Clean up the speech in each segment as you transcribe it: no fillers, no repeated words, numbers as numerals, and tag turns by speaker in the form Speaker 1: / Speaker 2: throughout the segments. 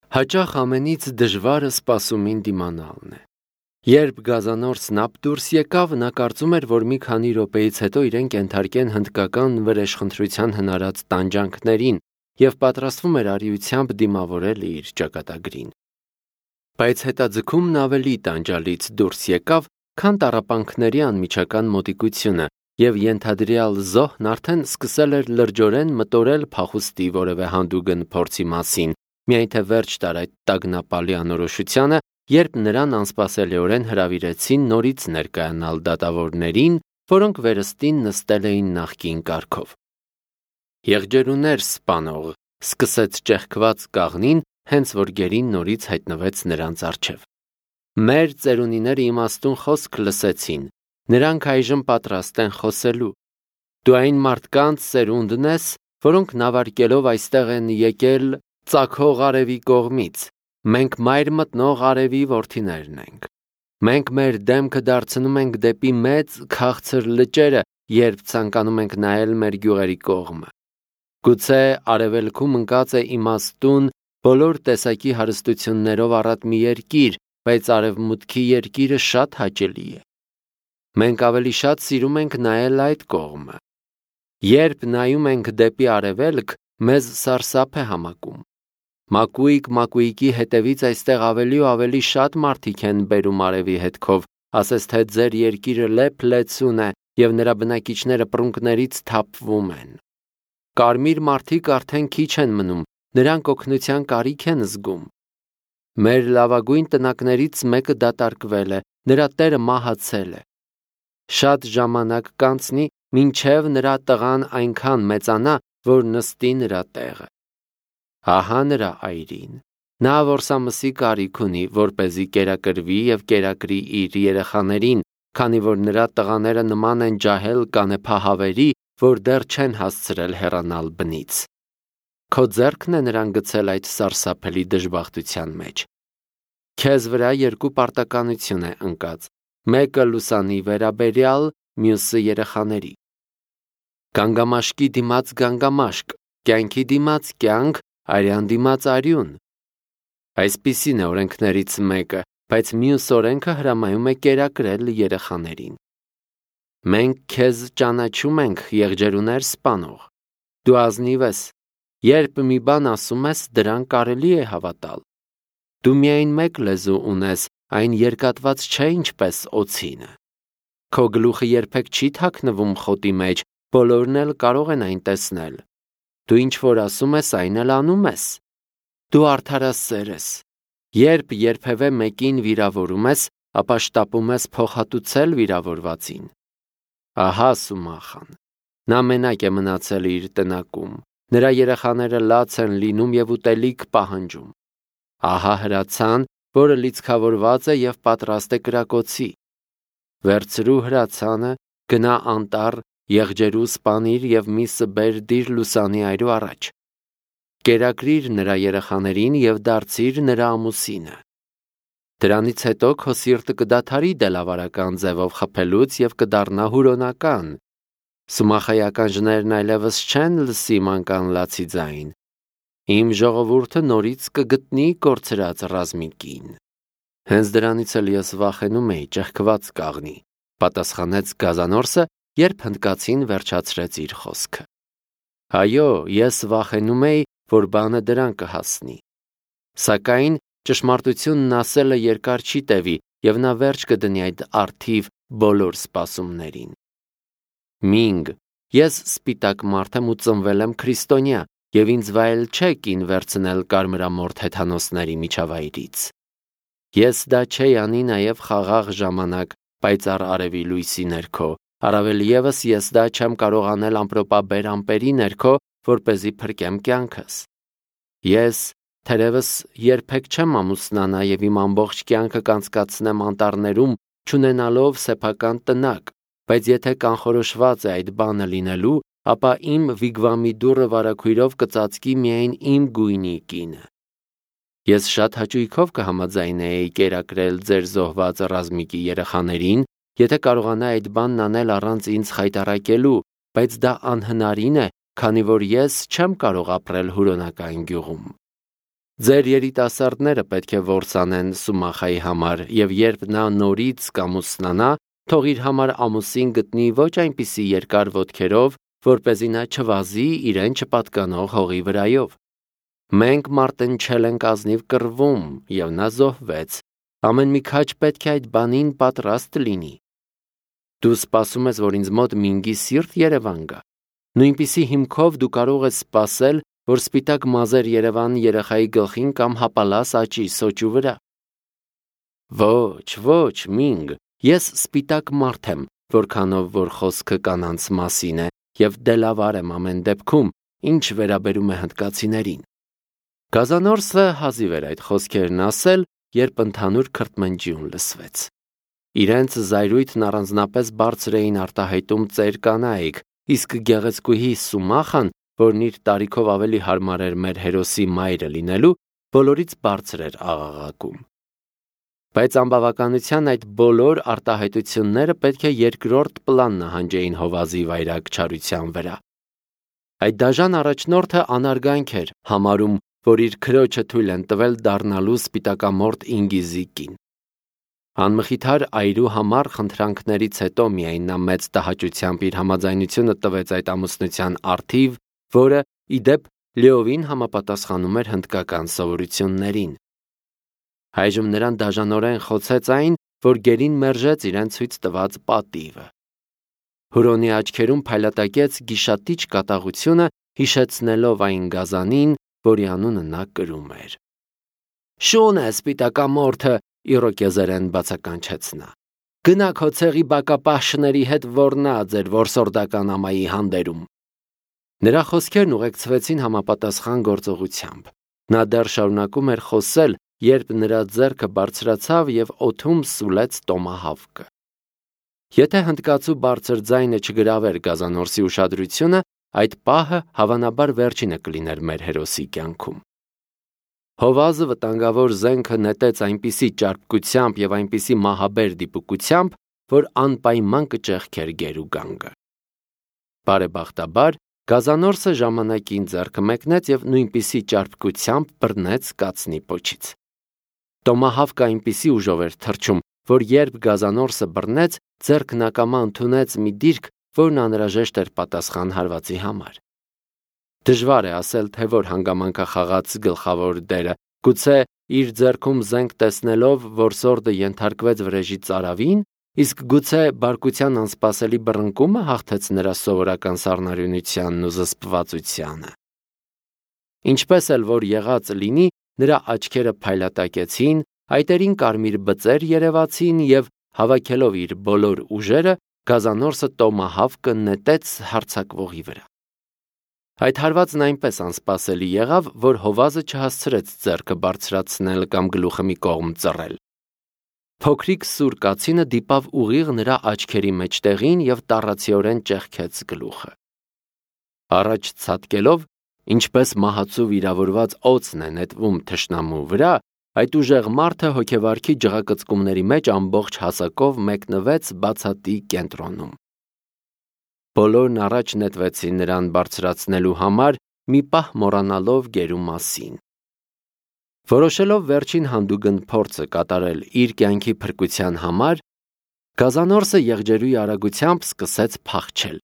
Speaker 1: Հաճախ ամենից դժվարը սպասումին դիմանալն է։ Երբ գազանորցն ապ դուրս եկավ, նա կարծում էր, որ մի քանի րոպեից հետո իրեն կենթարկեն հնդկական վրեժխնդրության հնարած տանջանքներին և պատրաստվում էր արիությամբ դիմավորել իր ճակատագրին։ Բայց հետաձգումն ավելի տանջալից դուրս եկավ, քան տառապանքների անմիջական մոտիկությունը, և ենթադրյալ զոհն արդեն սկսել էր լրջորեն մտորել փախուստի որևէ հանդուգն փորձի մասին, միայն թե վերջ տար այդ տագնապալի անորոշությանը, երբ նրան անսպասելիորեն հրավիրեցին նորից ներկայանալ դատավորներին, որոնք վերստին նստել էին նախկին կարգով։ «Եղջերուներ սպանող», սկսեց ճեղքված կաղնին, հենց որ գերին նորից հայտնվեց նրանց առջև։ «Մեր ծերունիները իմաստուն խոսք լսեցին, նրանք այժմ պատրաստ են խոսելու։ Դու այն մարդկանց սերունդն ես, որոնք նավարկելով այստեղ են եկել ծագող արևի կողմից, մենք մայր մտնող արևի որդիներն ենք։ Մենք մեր դեմքը դարձնում ենք դեպի մեծ քաղցր լճերը, երբ ցանկանում ենք նայել մեր գյուղերի կողմը։ Գուցե արևելքում ընկած է իմաստուն, բոլոր տեսակի հարստություններով առատ մի երկիր, բայց արևմուտքի երկիրը շատ հաճելի է։ Մենք ավելի շատ սիրում ենք նայել այդ կողմը։ Երբ նայում ենք դեպի արևելք, մեզ սարսափ է համակում։ Մակույկ-մակույկի հետևից այստեղ ավելի ու ավելի շատ մարդիկ են բերում արևի հետքով, ասես թե ձեր երկիրը լեփ-լեցուն է և նրա բնակիչները պռունգներից թափվում են։ Կարմիր մարդիկ արդեն քիչ են մնում, նրանք օգնության կարիք են զգում։ Մեր լավագույն տնակներից մեկը դատարկվել է, նրա տերը մահացել է։ Շատ ժամանակ կանցնի, մինչև նրա տղան այնքան մեծանա, որ նստի նրա տեղը։ Ահա նրա այրին։ Նա որսամսի կարիք ունի, որպեսզի կերակրվի և կերակրի իր երեխաներին, քանի որ նրա տղաները նման են ջահել կանեփահավերի, որ դեռ չեն հասցրել հեռանալ բնից։ Քո ձեռքն է նրան գցել այդ սարսափելի դժբախտության մեջ։ Քեզ վրա երկու պարտականություն է ընկած, մեկը լուսանի վերաբերյալ, մյուսը երեխաների։ Գանգամաշկի դիմաց գանգամաշկ, կյանքի դիմաց կյանք, արյան դիմաց արյուն։ Այսպիսին է օրենքներից մեկը, բայց մյուս օրենքը հրամայում է կերակրել երեխաներին։ Մենք քեզ ճանաչում ենք, եղջերուներ սպանող։ Դու ազնիվ ես, երբ մի բան ասում ես, դրան կարելի է հավատալ։ Դու միայն մեկ լեզու ունես, այն երկատված չէ ինչպես օձինը։ Քո գլուխը երբեք չի թաքնվում խոտի մեջ, բոլորն էլ կարող են այն տեսնել։ Դու ինչ որ ասում ես, այն էլ անում ես։ Դու արդարասեր ես։ Երբ երբևէ մեկին վիրավորում ես, ապա շտապում ես փոխհատուցել վիրավորվածին։ Ահա Սումախան։ Նա մենակ է մնացել իր տնակում։ Նրա երեխաները լաց են լինում և ուտելիք պահանջում։ Ահա հրացան, որը լիցքավորված է և պատրաստ է կրակոցի։ Վերցրու հրացանը, գնա անտառ, եղջերու սպանիր և միսը բեր դիր լուսանի այրու առաջ։ Կերակրիր նրա երեխաներին և դարձիր նրա ամուսինը։ Դրանից հետո քո սիրտը կդադարի դելավարական ձևով խփելուց և կդառնա հուրոնական։ Սումախայական ժներն այլևս չեն լսի մանկան լացի ձայն։ Իմ ժողովուրդը նորից կգտնի կորցրած ռազմիկին։ Հենց դրանից էլ ես վախենում էի, ճեղքված կաղնի, պատասխանեց գազանորսը, երբ հնդկացին վերջացրեց իր խոսքը։ Այո, ես վախենում էի, որ բանը դրան կհասնի։ Սակայն ճշմարտությունն ասելը երկար չի տևի, և նա վերջ կդնի այդ առթիվ բոլոր սպասումներին։ Մինգ, ես սպիտակ մարդ եմ ու ծնվել եմ քրիստոնյա, և ինձ վայել չէ կին վերցնել կարմրամորթ հեթանոսների միջավայրից։ Ես դա չէի անի նաև խաղաղ ժամանակ պայծառ արևի լույսի ներքո, առավել ևս ես դա չեմ կարող անել ամպրոպաբեր ամպերի ներքո, որպեսզի փրկեմ կյանքս։ Ես, թերևս, երբեք չեմ ամուսնանա և իմ ամբողջ կյանքը կանցկացնեմ անտառներում, չունենալով սեփական տնակ, բայց եթե կանխորոշված է այդ բանը լինելու, ապա իմ վիգվամի դուռը վարագույրով կծածկի միայն իմ գույնի կինը։ Ես շատ հաճույքով կհամաձայնեի կերակրել ձեր զոհված ռազմիկի երեխաներին, եթե կարողանա այդ բանն անել առանց ինձ խայտառակելու, բայց դա անհնարին է, քանի որ ես չեմ կարող ապրել հուրոնական գյուղում։ Ձեր երիտասարդները պետք է որսանեն Սումախայի համար, եւ երբ նա նորից կամուսնանա, թող իր համար ամուսին գտնի ոչ այնպիսի երկար ոտքերով, որպեսզի նա չվազի իրեն չպատկանող հողի վրայով։ Մենք մարտնչել ենք ազնիվ կռվում, եւ նա զոհվեց։ Ամեն մի քաջ պետք է այդ բանին պատրաստ լինի։ Դու սպասում ես, որ ինձ մոտ մինգի սիրտ Երևան գա։ Նույնպիսի հիմքով դու կարող ես սպասել, որ սպիտակ մազեր Երևան երեխայի գլխին կամ հապալաս աճի սոճու վրա։ Ոչ, մինգ, ես սպիտակ մարդ եմ, որքանով որ խոսքը կանանց մասին է, եւ դելավար եմ ամեն դեպքում, ինչ վերաբերում է հնդկացիներին։ Գազանորսը հազիվ էր այդ խոսքերն ասել, երբ ընդհանուր քրթմնջյուն լսվեց։ Իրենց զայրույթն առանձնապես բարձր էին արտահայտում ծեր կանայք, իսկ գեղեցկուհի Սումախան, որն իր տարիքով ավելի հարմար էր մեր հերոսի մայրը լինելու, բոլորից բարձր էր աղաղակում։ Բայց անբավականության այդ բոլոր արտահայտությունները պետք է երկրորդ պլան նահանջեին Հովազի վայրագ չարության վրա։ Այդ դաժան առաջնորդը անարգանք էր համարում, որ իր քրոջը թույլ են տվել դառնալու սպիտակամորթ ինգիզիկին։ Անմխիթար այրու համար խնդրանքներից հետո միայն նա մեծ տհաճությամբ իր համաձայնությունը տվեց այդ ամուսնության առթիվ, որը, ի դեպ, լիովին համապատասխանում էր հնդկական սովորություններին։ Այժմ նրան դաժանորեն խոցեց այն, որ գերին մերժեց իրեն ցույց տված պատիվը։ Հուրոնի աչքերում փայլատակեց գիշատիչ կատաղությունը, հիշեցնելով այն գազանին, որի անունը նա կրում էր։ Շուն է սպիտակամորթը, իրոկեզերեն բացականչեց նա։ Գնա քո ցեղի բակապաշների հետ ոռնա ձեր որսորդական ամայի հանդերում։ Նրա խոսքերն ուղեկցվեցին համապատասխան գործողությամբ։ Նա դեռ շարունակում էր խոսել, երբ նրա ձեռքը բարձրացավ եւ օդում սուլեց տոմահավկը։ Եթե հնդկացու բարձր ձայնը չգրավեր Գազանորսի ուշադրությունը, այդ պահը հավանաբար վերջինը կլիներ մեր հերոսի կյանքում։ Հովազը վտանգավոր զենքը նետեց այնպիսի ճարպկությամբ եւ այնպիսի մահաբեր դիպուկությամբ, որ անպայման կճեղքեր գերուգանգը։ Բարեբախտաբար Գազանորսը ժամանակին ձեռքը մեկնեց եւ նույնպիսի ճարպկությամբ բռնեց կացնի պոչից։ Տոմահավկը այնպիսի ուժով էր թռչում, որ երբ Գազանորսը բռնեց, ձեռքն ակամա ընդունեց մի դիրք, որն անհրաժեշտ էր պատասխան հարվածի համար։ Դժվար է ասել, թե որ հանգամանք խաղաց գլխավոր դերը, գուցե իր ձեռքում զենք տեսնելով, որ սորդը ենթարկվեց վրեժի ծարավին, իսկ գուցե բարկության անսպասելի բռնկումը հաղթեց նրա սովորական սառնարյունությանն ու զսպվածությանը։ Ինչպես էլ որ եղած լինի, նրա աչքերը փայլատակեցին, այտերին կարմիր բծեր երևացին եւ հավաքելով իր բոլոր ուժերը, Գազանորսը տոմահավկը նետեց հարձակվողի վրա։ Այդ հարվածն այնպես անսպասելի եղավ, որ Հովազը չհասցրեց ձեռքը բարձրացնել կամ գլուխը մի կողմ ծռել։ Փոքրիկ սուր կացինը դիպավ ուղիղ նրա աչքերի մեջտեղին եւ տառացիորեն ճեղքեց գլուխը։ Առաջ ցատկելով, ինչպես մահացու վիրավորված օձն է նետվում թշնամու վրա, այդ ուժեղ մարդը հոգեվարքի ջղակծկումների մեջ ամբողջ հասակով մեկնվեց բացատի կենտրոնում։ Բոլորն առաջ նետվեցին նրան բարձրացնելու համար, մի պահ մոռանալով գերու մասին։ Որոշելով վերջին հանդուգն փորձը կատարել իր կյանքի փրկության համար, Գազանորսը եղջերուի արագությամբ սկսեց փախչել։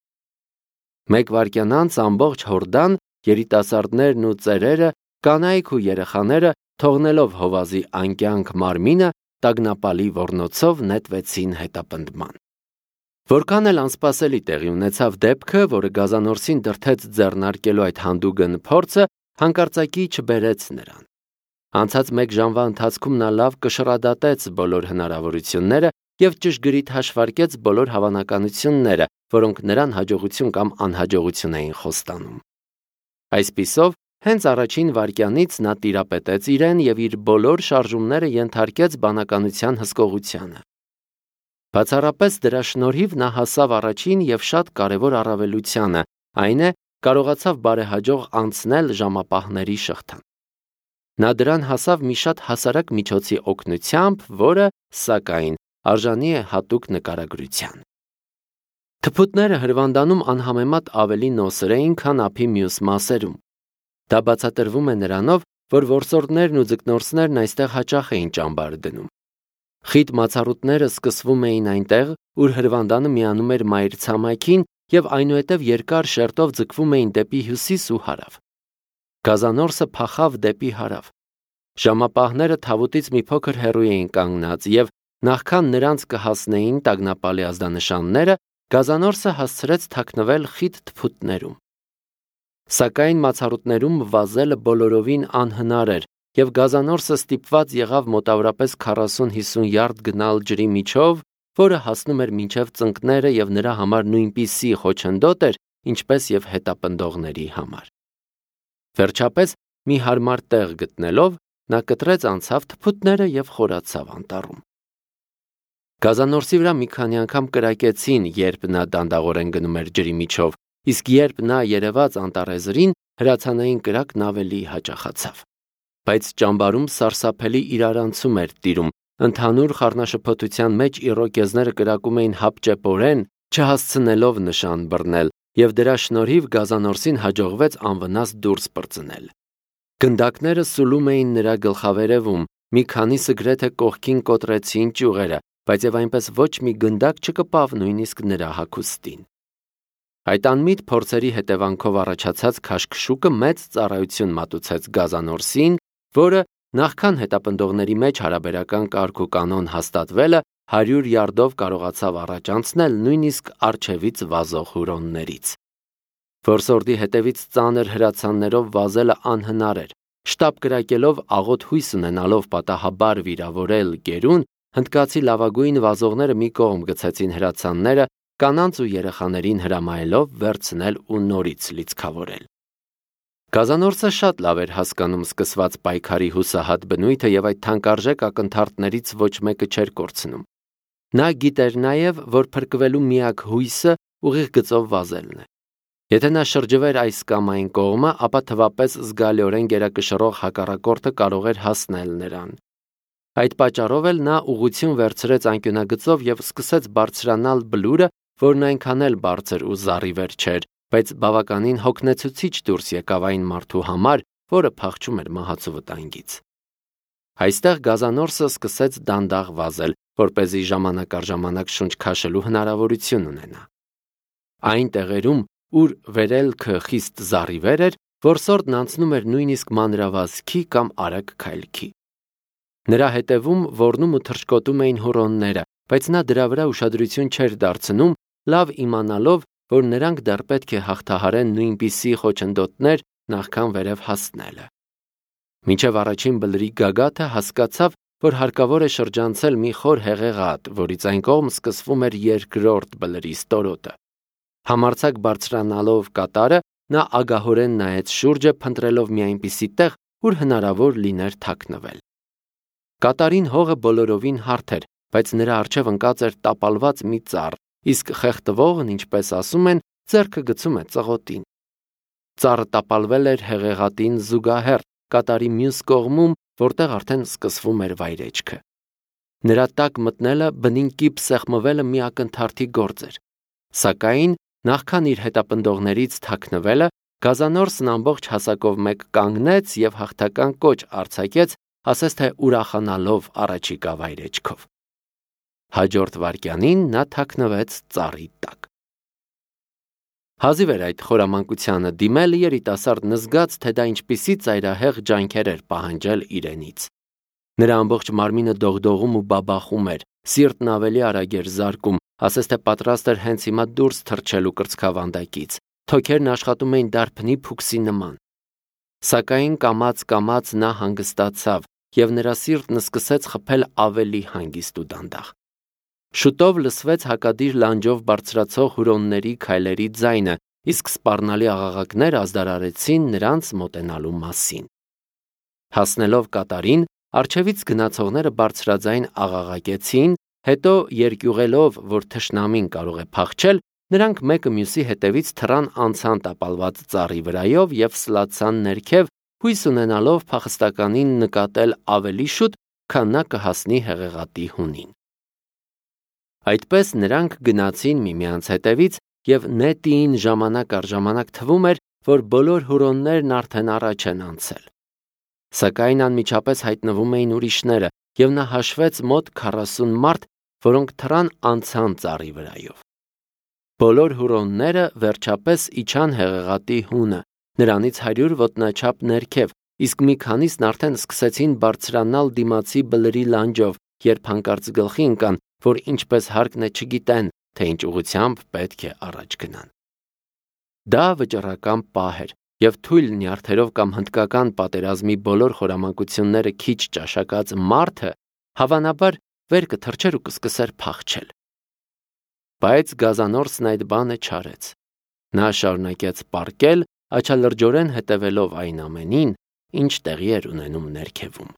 Speaker 1: Մեկ վայրկյան անց ամբողջ հորդան, երիտասարդներն ու ծերերը, կանայք ու երեխաները, թողնելով Հովազի անկյանք մարմինը, տագնապալի ոռնոցով նետվեցին հետապնդման։ Որքան էլ անսպասելի տեղի ունեցավ դեպքը, որը Գազանորսին դրդեց ձեռնարկելու այդ հանդուգն փորձը, հանկարծակի չբերեց նրան։ Անցած մեկ ժամվա ընթացքում նա լավ կշռադատեց բոլոր հնարավորությունները եւ ճշգրիտ հաշվարկեց բոլոր հավանականությունները, որոնք նրան հաջողություն կամ անհաջողություն էին խոստանում։ Այսպիսով, հենց առաջին վայրկյանից նա տիրապետեց իրեն եւ իր բոլոր շարժումները ենթարկեց բանականության հսկողությանը։ Բացառապես դրա շնորհիվ նա հասավ առաջին եւ շատ կարևոր առավելությանը, այն է, կարողացավ բարեհաջող անցնել ժամապահների շղթան։ Նա դրան հասավ մի շատ հասարակ միջոցի օգնությամբ, որը, սակայն, արժանի է հատուկ նկարագրության։ Թփուտները հրվանդանում անհամեմատ ավելի նոսր էին, քան ափի մյուս մասերում։ Դա բացատրվում է նրանով, որ որսորդներն ու ձկնորսներն այստեղ հաճախ էին ճամբար դնում։ Խիտ մացառուտները սկսվում էին այնտեղ, ուր հրվանդանը միանում էր մայր ցամաքին և այնուհետև երկար շերտով ձգվում էին դեպի հյուսիս ու հարավ։ Գազանորսը փախավ դեպի հարավ։ Ժամապահները թավուտից մի փոքր հեռու էին կանգնած և նախքան նրանց կհասնեին տագնապալի ազդանշանները, գազանորսը հասցրեց թաքնվել խիտ թփուտներում։ Սակայն մացառուտներում վազելը բոլորովին անհնար էր, և գազանորսը ստիպված եղավ մոտավորապես 40-50 յարդ գնալ ջրի միջով, որը հասնում էր մինչև ծնկները և նրա համար նույնպիսի խոչընդոտ էր, ինչպես և հետապնդողների համար։ Վերջապես, մի հարմար տեղ գտնելով, նա կտրեց անցավ թփուտները և խորացավ անտառում։ Գազանորսի վրա մի քանի անգամ կրակեցին, երբ նա դանդաղորեն գնում էր ջրի միջով, իսկ երբ նա երևաց անտառեզրին, հրացանային կրակն ավելի հաճախացավ։ Բայց ճամբարում սարսափելի իրարանցում էր տիրում, ընդհանուր խառնաշփոթության մեջ իռոկեզները կրակում էին հապճեպորեն, չհասցնելով նշան բռնել, և դրա շնորհիվ գազանորսին հաջողվեց անվնաս դուրս պրծնել։ Գնդակները սուլում էին նրա գլխավերևում, մի քանիսը գրեթե կողքին կոտրեցին ճյուղերը, բայց և այնպես ոչ մի գնդակ չկպավ նույնիսկ նրա հագուստին։ Այդ անմիտ փորձերի հետևանքով առաջացած քաշքշուկը մեծ ծառայություն մատուցեց գազանորսին, որը նախքան հետապնդողների մեջ հարաբերական կարգ ու կանոն հաստատվելը 100 յարդով կարողացավ առաջ անցնել նույնիսկ առջևից վազող հուրոններից։ Որսորդի հետևից ծանր հրացաններով վազելը անհնար էր։ Շտապ կրակելով աղոտ հույս ունենալով պատահաբար վիրավորել գերուն, հնդկացի լավագույն վազողները մի կողմ գցեցին հրացանները, կանանց ու երեխաներին հրամայելով վերցնել ու նորից լիցքավորել։ Գազանորսը շատ լավ էր հասկանում սկսված պայքարի հուսահատ բնույթը և այդ թանկարժեք ակնթարթներից ոչ մեկը չէր կորցնում։ Նա գիտեր նաև, որ փրկվելու միակ հույսը ուղիղ գծով վազելն է։ Եթե նա շրջվեր այս կամ այն կողմը, ապա թվապես զգալիորեն գերակշռող հակառակորդը կարող էր հասնել նրան։ Այդ պատճառով էլ նա ուղղություն վերցրեց անկյունագծով և սկսեց բարձրանալ բլուրը, որն այնքան էլ բարձր ու զառիվեր չէր, բայց բավականին հոգնեցուցիչ դուրս եկավ այն մարդու համար, որը փախչում էր մահացու վտանգից։ Այստեղ գազանորսը սկսեց դանդաղ վազել, որպեսզի ժամանակ առ ժամանակ շունչ քաշելու հնարավորություն ունենա։ Այն տեղերում, ուր վերելքը խիստ զառիվեր էր, որսորդն անցնում էր նույնիսկ մանրավազքի կամ արագ քայլքի։ Նրա հետևում ոռնում ու թռչկոտում էին հուրոնները, բայց նա դրա վրա ուշադրություն չէր դարձնում, լավ իմանալով, որ նրանք դեռ պետք է հաղթահարեն նույնպիսի խոչընդոտներ նախքան վերև հասնելը։ Մինչև առաջին բլրի գագաթը հասկացավ, որ հարկավոր է շրջանցել մի խոր հեղեղատ, որից այն կողմ սկսվում էր երկրորդ բլրի ստորոտը։ Համարձակ բարձրանալով կատարը, նա ագահորեն նայեց շուրջը, փնտրելով մի այնպիսի տեղ, ուր հնարավոր լիներ թաքնվել։ Կատարին հողը բոլորովին հարթ էր, բայց նրա առջև ընկած էր տապալված մի ծառ, իսկ խեղդվողն, ինչպես ասում են, ձեռքը գցում է ծղոտին։ Ծառը տապալվել էր հեղեղատին զուգահեռ, կատարի մյուս կողմում, որտեղ արդեն սկսվում էր վայրեջքը։ Նրա տակ մտնելը, բնին կիպ սեղմվելը մի ակնթարթի գործ էր։ Սակայն, նախքան իր հետապնդողներից թաքնվելը, գազանորսն ամբողջ հասակով մեկ կանգնեց և հաղթական կոչ արձակեց, ասես թե ուրախանալով առաջիկա վայրեջքով։ Հաջորդ վայրկյանին նա թաքնվեց ծառի տակ։ Հազիվ էր այդ խորամանկությանը դիմել, երիտասարդն զգաց, թե դա ինչպիսի ծայրահեղ ջանքեր էր պահանջել իրենից։ Նրա ամբողջ մարմինը դողդողում ու բաբախում էր, սիրտն ավելի արագ էր զարկում, ասես թե պատրաստ էր հենց հիմա դուրս թռչելու կրծքավանդակից, թոքերն աշխատում էին դարբնի փուքսի նման։ Սակայն կամաց-կամաց նա հանգստացավ, և նրա սիրտն սկսեց խփել ավելի հանգիստ ու դանդաղ։ Շուտով լսվեց հակադիր լանջով բարձրացող հուրոնների քայլերի ձայնը, իսկ սպառնալի աղաղակներ ազդարարեցին նրանց մոտենալու մասին։ Հասնելով կատարին, առջևից գնացողները բարձրաձայն աղաղակեցին, հետո երկյուղելով, որ թշնամին կարող է փախչել, նրանք մեկը մյուսի հետևից թռան անցան տապալված ծառի վրայով և սլացան ներքև, հույս ունենալով փախստականին նկատել ավելի շուտ, քան նա կհասնի հեղեղատի հունին։ Այդպես նրանք գնացին միմյանց հետևից, և նետին ժամանակ առ ժամանակ թվում էր, որ բոլոր հուրոններն արդեն առաջ են անցել։ Սակայն անմիջապես հայտնվում էին ուրիշները, և նա հաշվեց մոտ 40 մարդ, որոնք թռան անցան ծառի վրայով։ Բոլոր հուրոնները վերջապես իջան Հեղեղատի հունը, նրանից 100 ոտնաչափ ներքև, իսկ մի քանիսն արդեն սկսեցին բարձրանալ դիմացի բլրի լանջով, երբ հանկարծ գլխի ընկան, որ ինչպես հարկն է չգիտեն, թե ինչ ուղղությամբ պետք է առաջ գնան։ Դա վճռական պահ էր, և թույլ նյարդերով կամ հնդկական պատերազմի բոլոր խորամանկությունները քիչ ճաշակած մարդը հավանաբար վեր կթռչեր ու կսկսեր փախչել։ Բայց գազանորսն այդ բանը չարեց։ Նա շարունակեց պառկել, աչալրջորեն հետևելով այն ամենին, ինչ տեղի էր ունենում ներքևում։